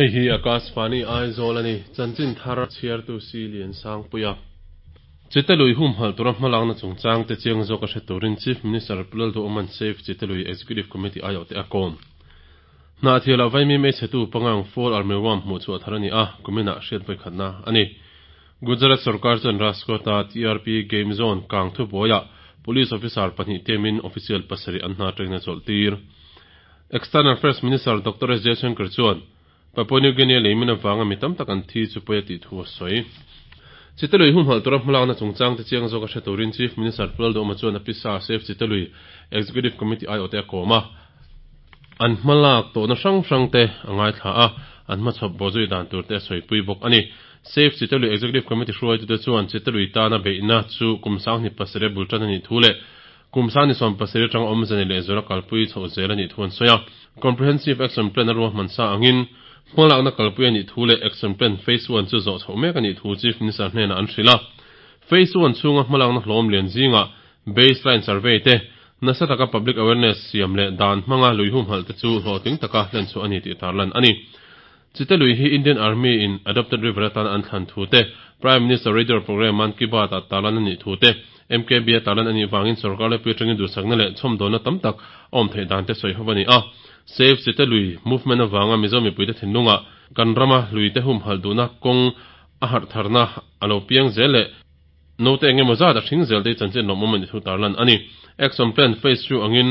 Hei hi Akashvani Aizawl a ni. Chanchin thar chhiartu si Lian Sangpuia. Chite lui humhalh tura hmalakna chungchang te chiang zawk a hre turin Chief Minister Pu Lalduhawma'n Save Chite Lui Executive Committee aiawh te a kawm. Hnahthialah Vaimim ei chhetu pangang Fall Armyworm hmuh chhuah thar a ni a, kuminah hriat vawikhatna a ni. Gujarat sorkar chuan Rajkot-a TRP Game Zone kang thubuaiah Police officer pahnih temin official pasarih an hna atangin a chawlh tir. External Affairs Minister Doctor S Jaishankar chuan Papua New Guinea leimin avanga mi tam tak an thi chu pawi a tih thu a sawi. Chitalui humhalh tura hmalakna chungchang te chiang zawk a hre turin Chief Minister Pu Lalduhawma chuan a pisa Save Chitalui Executive Committee aiawhte a kawm a, an hmalak tawhna hrang hrang te a ngaithla a, an hmachhawp bawhzui dan tur te a sawipui bawk a ni. Save Chitalui Executive Committee hruaitute chuan Chitalui tana beihna chu kum 27 a bul tan a nih thu leh Kum 27 atanga awmze nei leh zuala kalpui chhoh zel a nih thu an sawi a. Comprehensive Action Plan a ruahman sa angin hmalakna kalpui a nih thu leh Action Plan Phase One chu zawh chhoh mek a nih thu Chief Minister hnenah an hrilh a. Phase One chhunga hmalakna hlawm lian zingah Baseline Survey te, nasa taka Public Awareness siam leh dan hmanga lui humhalh te chu hlawhtling taka hlenchhuah a ni tih tarlan a ni. Chite lui hi Indian Army in Adopted River atan an thlan thu te, Prime Minister Radio Programme Mann Ki Baat ah tarlan a nih thu te, MKB a tarlan a nih vangin sorkar lepui atangin duhsakna leh chhawmdawnna tam tak a awm theih dan te sawi ho a ni a. Save Chite Lui Movement avanga Mizo mipuite thinlungah kan rama luite humhalh duhna kawng a harhtharna a lo piang zel leh note eng emaw zat a hring zel te hi chanchin lawmawm a nih thu tarlan a ni. Action Plan Phase 2 angin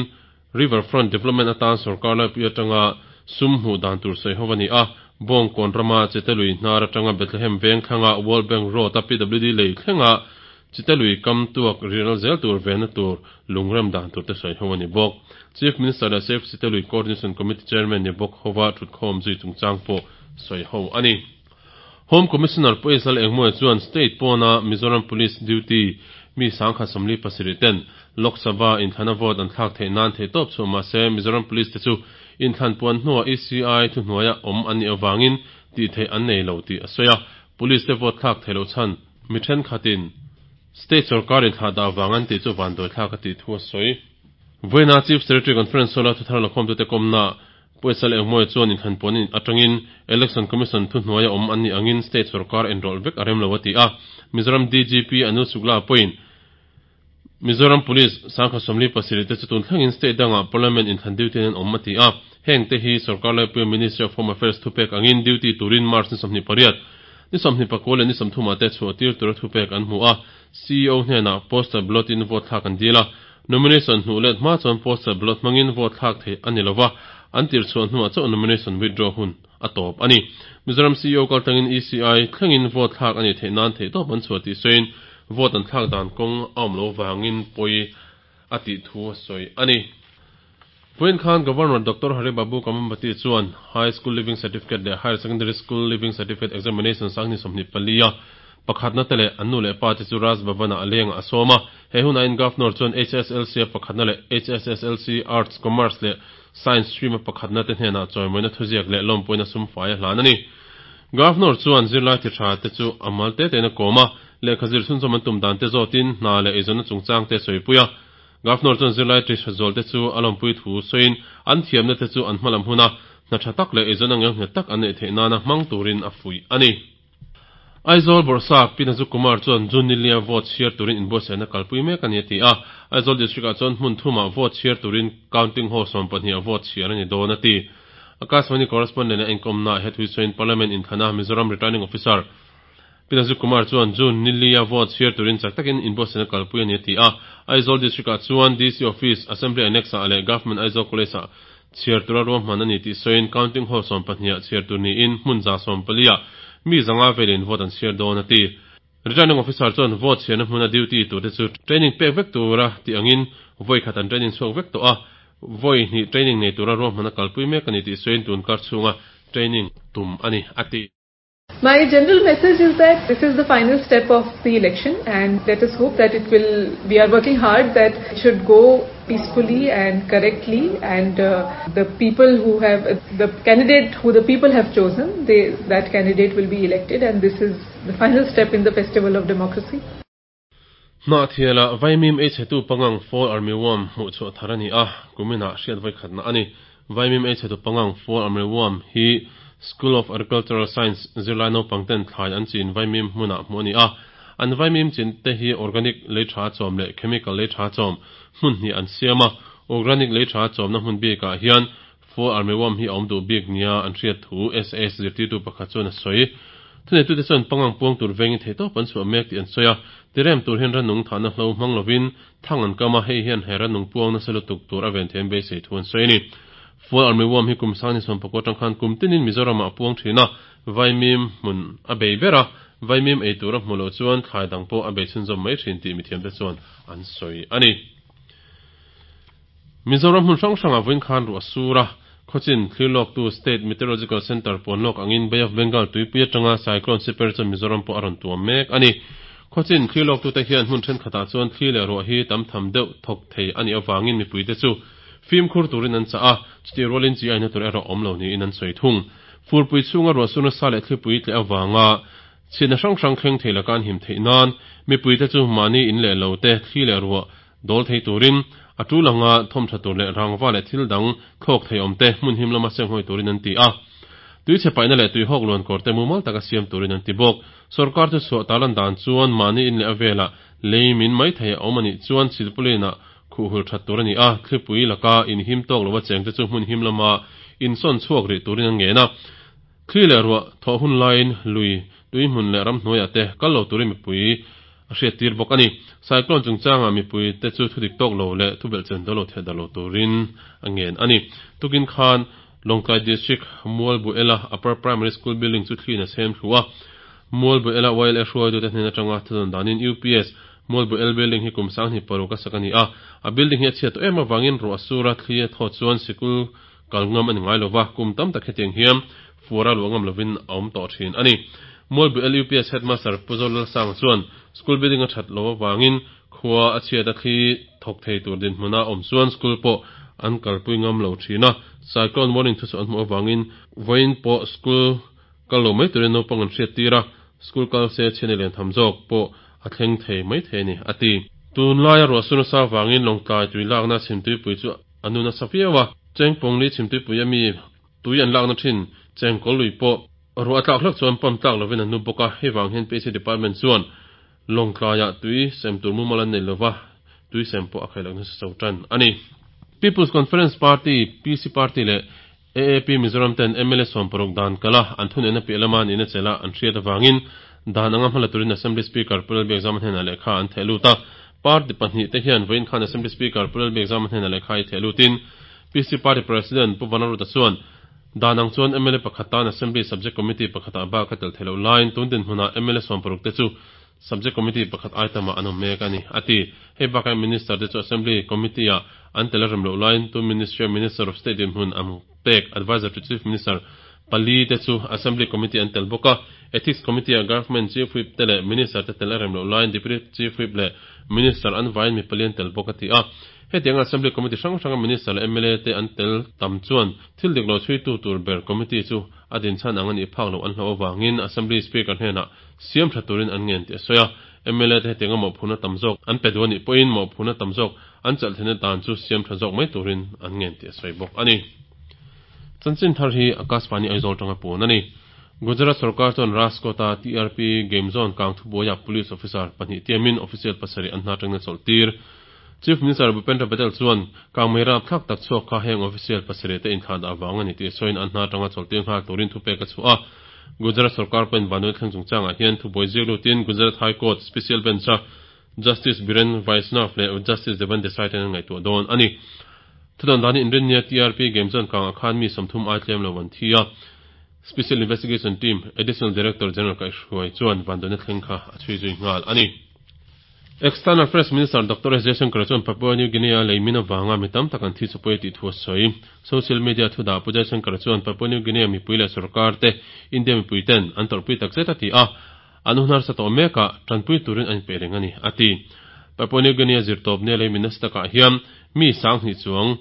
River Front Development atan sorkar laipui atanga sum hmuh dan tur sawi ho a ni a, Bawngkawn rama Chite lui hnar atanga Bethlehem veng thlanga World Bank Road a PWD lei thlenga Chite lui kam tuak riral zel tur venna tur lungrem dan tur te sawi ho a ni bawk. Chief Minister leh Save Chite Lui Coordination Committee Chairman ni bawk hova thutkhawm zui chungchang pawh sawi ho a ni. Home Commissioner Pu Ezal Engmawia chuan State pawna Mizoram Police duty mi 1047 ten Lok Sabha inthlana vote an thlak theih nan theihtawp chhuah mahse Mizoram Police te chu inthlan puan hnuah ECI thuhnuaia awm an nih avangin tih theih an nei lo tih a sawi a. Police te vote thlak theih loh chhan mi thenkhatin State sorkar inthlah dah vang an tih chu vanduai thlak a tih thu a sawi. Vawiina Chief Secretary Conference Hall-a thuthar lakhawmtute kawmna Pawisa leh Engmawia chuan inthlan puan atangin Election Commission thuhnuaia awm an nih angin state sorkar enrawlh vek a rem lo a ti a. Mizoram DGP Anil Shukla pawhin Mizoram Police 1047 te chu tun thlengin state dangah Parliament inthlan duty an awm a ti a. Heng te hi sorkar laipuia Ministry of Home Affairs thupek angin duty turin March ni 28, ni 29 leh ni 30 ah te chhuah tir tura thupek an hmu a. CEO hnenah postal ballot in vote thlak an dil a. Nomination hnuh let hma chuan postal ballot hmangin vote thlak theih a ni lova, an tir chhuah hnuah chauh nomination withdraw hun a tawp a ni. Mizoram CEO kaltlangin ECI thlengin vote thlak a nih theih nan theihtawp an chhuah tih sawiin vote an thlak dan kawng a awm lo vangin pawi a tih thu a sawi a ni. Vawiin khan Governor Doctor Hari Babu Kambhampati chuan High School Leaving Certificate leh Higher Secondary School Leaving Certificate Examination 2024 a pakhatna te leh an nu leh pa te chu Raj Bhavan-ah a lengah a sawm a. He hunah in Governor chuan HSLC a pakhatna leh HSSLC Arts, Commerce leh Science stream a pakhatna te hnenah chawimawina thuziak leh lawmpuina sum fai a hlan a ni. Governor chuan zirlai thi tha te chu a mal te tein a kawm a, lehkha zir chhunzawm an tum dan te zawtin hna leh eizawnna chungchang te a sawipui a. Governor chuan zirlai ti tha zual te chu a lawmpui thu sawiin an thiamna te chu an hmalam huna hna tha tak leh eizawnna ngelnghet tak an neih theih nana hmang turin a fuih a ni. Aizawl Bawrhsap Pi Nazu Kumar chuan June nilia vote chhiar turin inbuatsaihna kalpui mek a ni a ti a. Aizawl District-ah chuan hmun thumah vote chhiar turin Counting Hall 12 ah vote chhiar a ni dawn a ti. Akashvani Correspondent a enkawmnaah he thuisawiin Parliament inthlana Mizoram Returning Officer Pi Nazu Kumar chuan June nilia vote chhiar turin chak takin inbuatsaihna kalpui a ni a ti a. Aizawl District-ah chuan DC Office, Assembly Annex-ah leh Government Aizawl College-ah Chhiar tura ruahman a ni tih sawiin Counting Hall 12 ah chhiar tur niin hmun 14 ah mi zanga velin vote an chhiar dawn a ti. Returning Officer chuan vote chhiarna hmuna duty turte chu training pek vek tura tih angin vawi khat an training chhuak vek tawh a, vawi hnih training nei tura ruahman a kalpui mek a ni tih sawiin tun kar chhunga training tum a ni a ti. My general message is that this is the final step of the election and let us hope that it will, we are working hard that it should go peacefully and correctly and uh, the people who have, the candidate who the people have chosen, they, that candidate will be elected and this is the final step in the festival of democracy. Hnahthialah Vaimim ei chhetu pangang Fall Armyworm hmuh chhuah thar a ni a, kuminah hriat vawikhatna a ni. Vaimim ei chhetu pangang Fall Armyworm hi School of Agricultural Science zirlai naupang ten thlai an chin vaimim hmunah hmuh a ni a. An vaimim chin te hi organic lei tha chawm leh chemical lei tha chawm hmun hnih an siam a. Organic lei tha chawmna hmun bikah hian Fall armyworm hi a awm duh bik nia an hriat thu SAS zirtirtu pakhat chuan a sawi. Thuneitute chuan pangang puang tur vengin theihtawp an chhuah mek tih an sawi a. Tirem tur hian rannung thahna hlo hmang lovin thang an kam a, hei hian he rannung puang nasa lutuk tur a ven theih an beisei thu an sawi a ni. Fall armyworm hi kum sang ni sawmpakua atang khan kum tinin Mizoramah a puang thin a, vaimim hmun a bei ber a, vaimim ei tur a hmuh loh chuan thlai dang pawh a bei chhunzawm mai thin tih mithiamte chuan an sawi a ni. Mizoram hmun hrang hrangah vawiin khan ruah a sur a, khawchin thlir lawktu State Meteorological Centre puan lawk angin Bay of Bengal tuipui atanga Cyclone Siper chuan Mizoram pawh a rawn tuam mek a ni. Khawchin thlir lawktute hian hmun thenkhatah chuan thli leh ruah hi tam tham deuh thawk thei a nih avangin mipuite chu fimkhur turin an chah a, chutih rualin chi aina tur erawh awm lo niin an sawi thung. Furpui chhunga ruah sur nasa leh thlipui tleh avanga chhiatna hrang hrang thleng thei laka an him theih nan mipuite chu mahni in leh lo te thli leh ruah Dawl thei turin, a tul anga thawm tha tur leh rangva leh thil dang thlawk thei awm te hmun him lama senghawi turin an ti a. Tui chhe paihna leh tui hawk luan kawr te mumal taka siam turin an ti bawk. Sorkar chu chhuah talan dan chuan mahni in leh a velah lei min mai thei a awm a nih chuan silpauline-ah khuh hul that tur a ni a, thlipui laka inhim tawk lova cheng te chu hmun him lama insawn chhuak rih turin an ngen a. Thli leh ruah thawh hun laiin lui, tui hmun leh ramhnuaiah te kal lo turin mipui a hriattir bawk a ni. Cyclone chungchangah mipui te chu thudik tawk lo leh thubelhchen dawl lo theh darh lo turin a ngen a ni. Tukin khan Lawngtlai District Mualbuela Upper Primary School building chu thliin a chhem thlu a. Mualbuela YLA hruaitute hnen atanga thudawn danin UPS Mualbuel building hi kum 2006 a sak a ni a. A building hi a chhiat tawh em avangin ruah a sur a, thli a thawt chuan sikul Kal ngam a ni ngai lova, kum tam tak hetiang hian fuara luah ngam lovin a awm tawh thin a ni. Mualbu LUPS Headmaster Pu Zolalsanga chuan school building a that loh avangin khua a chhiat a thli thawk thei tur dinhmuna awm chuan school pawh an kalpui ngam lo thin a, cyclone warning thuchhuah an hmuh avangin vawiin pawh school kal lo mai turin naupang an hriat tir a, school kal se chhiatna lian tham zawk pawh a thleng thei mai thei a ni, a ti. Tunlaia ruahsur nasa avangin Lawngtlai tui lakna chhimtuipui chu A nu nasa viau a, Chengpawng li chhimtuipui a mi tui an lakna thin Chengkawl lui pawh ruah a tlak hlek chuan pump tlak lovin an nu bawk a, hei vang hian PHC department chuan Lawngtlaiah tui sem tur mumal an nei lova, tui sem pawh a khaih loh nasa cho tan a ni. People's Conference Party, PC Party, leh AAP Mizoram ten mla 60 dan kal a, an thuneihna piah lama nihna chelh a an hriat avangin dan anga hmala turin Assembly Speaker Pu Lalbiakzama hnenah lehkha an theh lut a. Party pahnihte hian vawiin khan Assembly Speaker Pu Lalbiakzama hnenah lehkha i theh lutin PC Party President Pu Vanaruta chuan dan ang chuan mla pakhat tan Assembly Subject Committee pakhatah bak a tel theih loh laiin tun dinhmunah mla 60 te chu Subject Committee pakhat ai tamah an awm mek a ni, a ti. Hei bakah Minister te chu Assembly Committee-ah an tel a rem loh laiin tu Ministry-a Minister of State dinhmun an pek Adviser to Chief Minister pali te chu Assembly Committee an tel bawk a. Ethics Committee-ah Government Chief Whip te leh Minister te tel a rem loh laiin Deputy Chief Whip leh Minister an vaiin mi pali an tel bawk a ti a. Hetianga Assembly Committee hrang hranga Minister leh mla te an tel tam chuan thil dik lo chhuitu tur ber Committee chu a dinchhan ang a nih phak loh an hlauh avangin Assembly Speaker hnenah siam tha turin an ngen tih a sawi a. Mla te hetianga mawhphurhna tam zawk an pe duh a nih pawhin mawhphurhna tam zawk an chelh theihna dan chu siam tha zawk mai turin an ngen tih a sawi bawk a ni. Chanchin thar hi Akashvani Aizawl tanga puan a ni. Gujarat sorkar chuan Rajkot-a TRP game zone kang thubuaiah police officer pahnih tiamin official pasarih an hna tangna chawlh tir. Chief Minister Bhupendra Patel chuan kangmei rapthlak tak chhuak kha heng official pasarih te inthlah dah vang a ni tih sawiin an hna tanga chawlh tir nghal turin thupek a chhuah a. Gujarat sorkar pawhin Vanduai thleng chungchangah hian thubuai ziak lutin Gujarat High Court Special Bench-a Justice Biren Vaishnav leh Justice Devan Desai ten an ngaihtuah dawn a ni. Thudawn danin inrinnia TRP game chuan kangah khan mi 30 ai tlem lo an thi a. Special Investigation Team Additional Director General kaihhruai chuan Vanduaina thleng kha a chhui zui nghal a ni. External Affairs Minister Doctor S Jaishankar chuan Papua New Guinea-a lei min avanga mi tam tak an thi chupui tih thu a sawi. Social media thudah Pu Jaishankar chuan Papua New Guinea mipui leh sorkar te India mipui ten an tawrhpui tak zet a ti a, an hun harsa tawh mekah tanpui turin an inpeih reng a ni, a ti. Papua New Guinea zirtawpnia lei min nasa takah hian mi 2000 chuang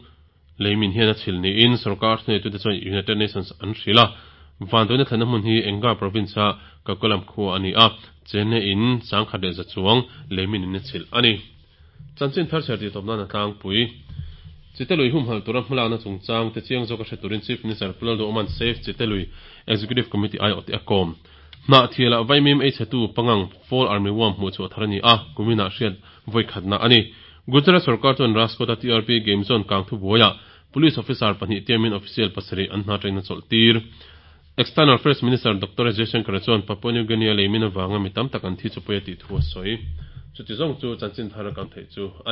Lei min hian a chhil niin sorkar thuneitute chuan United Nations an hrilh a. Vanduaina thlenna hmun hi Enga province-a Kakulam khua a ni a, chenne in 1100 chuang lei min in a chhilh a ni. Chanchin thar chher tih tawp nan a tlangpui. Chite lui humhalh tura hmalakna chungchang te chiang zawka hre turin Chief Minister Pu Lalduhoma'n Save Chite Lui Executive Committee aiawhte a kawm. Hnahthialah vaimim ei chhetu pangang Fall Army Worm hmuh chhuah thar a ni a, kuminah hriat vawi khatna a ni. Gujarat sorkar chuan Rajkot-a TRP Game Zone kang thubuaiah Police officer pahnih tiamin official pasarih an hna atangin a chawlh tir. External Affairs Minister Doctor S Jaishankar chuan Papua New Guinea leimin avanga mi tam tak an thi chu pawi a tih thu a sawi. Chuti zawng chu chanchin thar a kang theih chu a.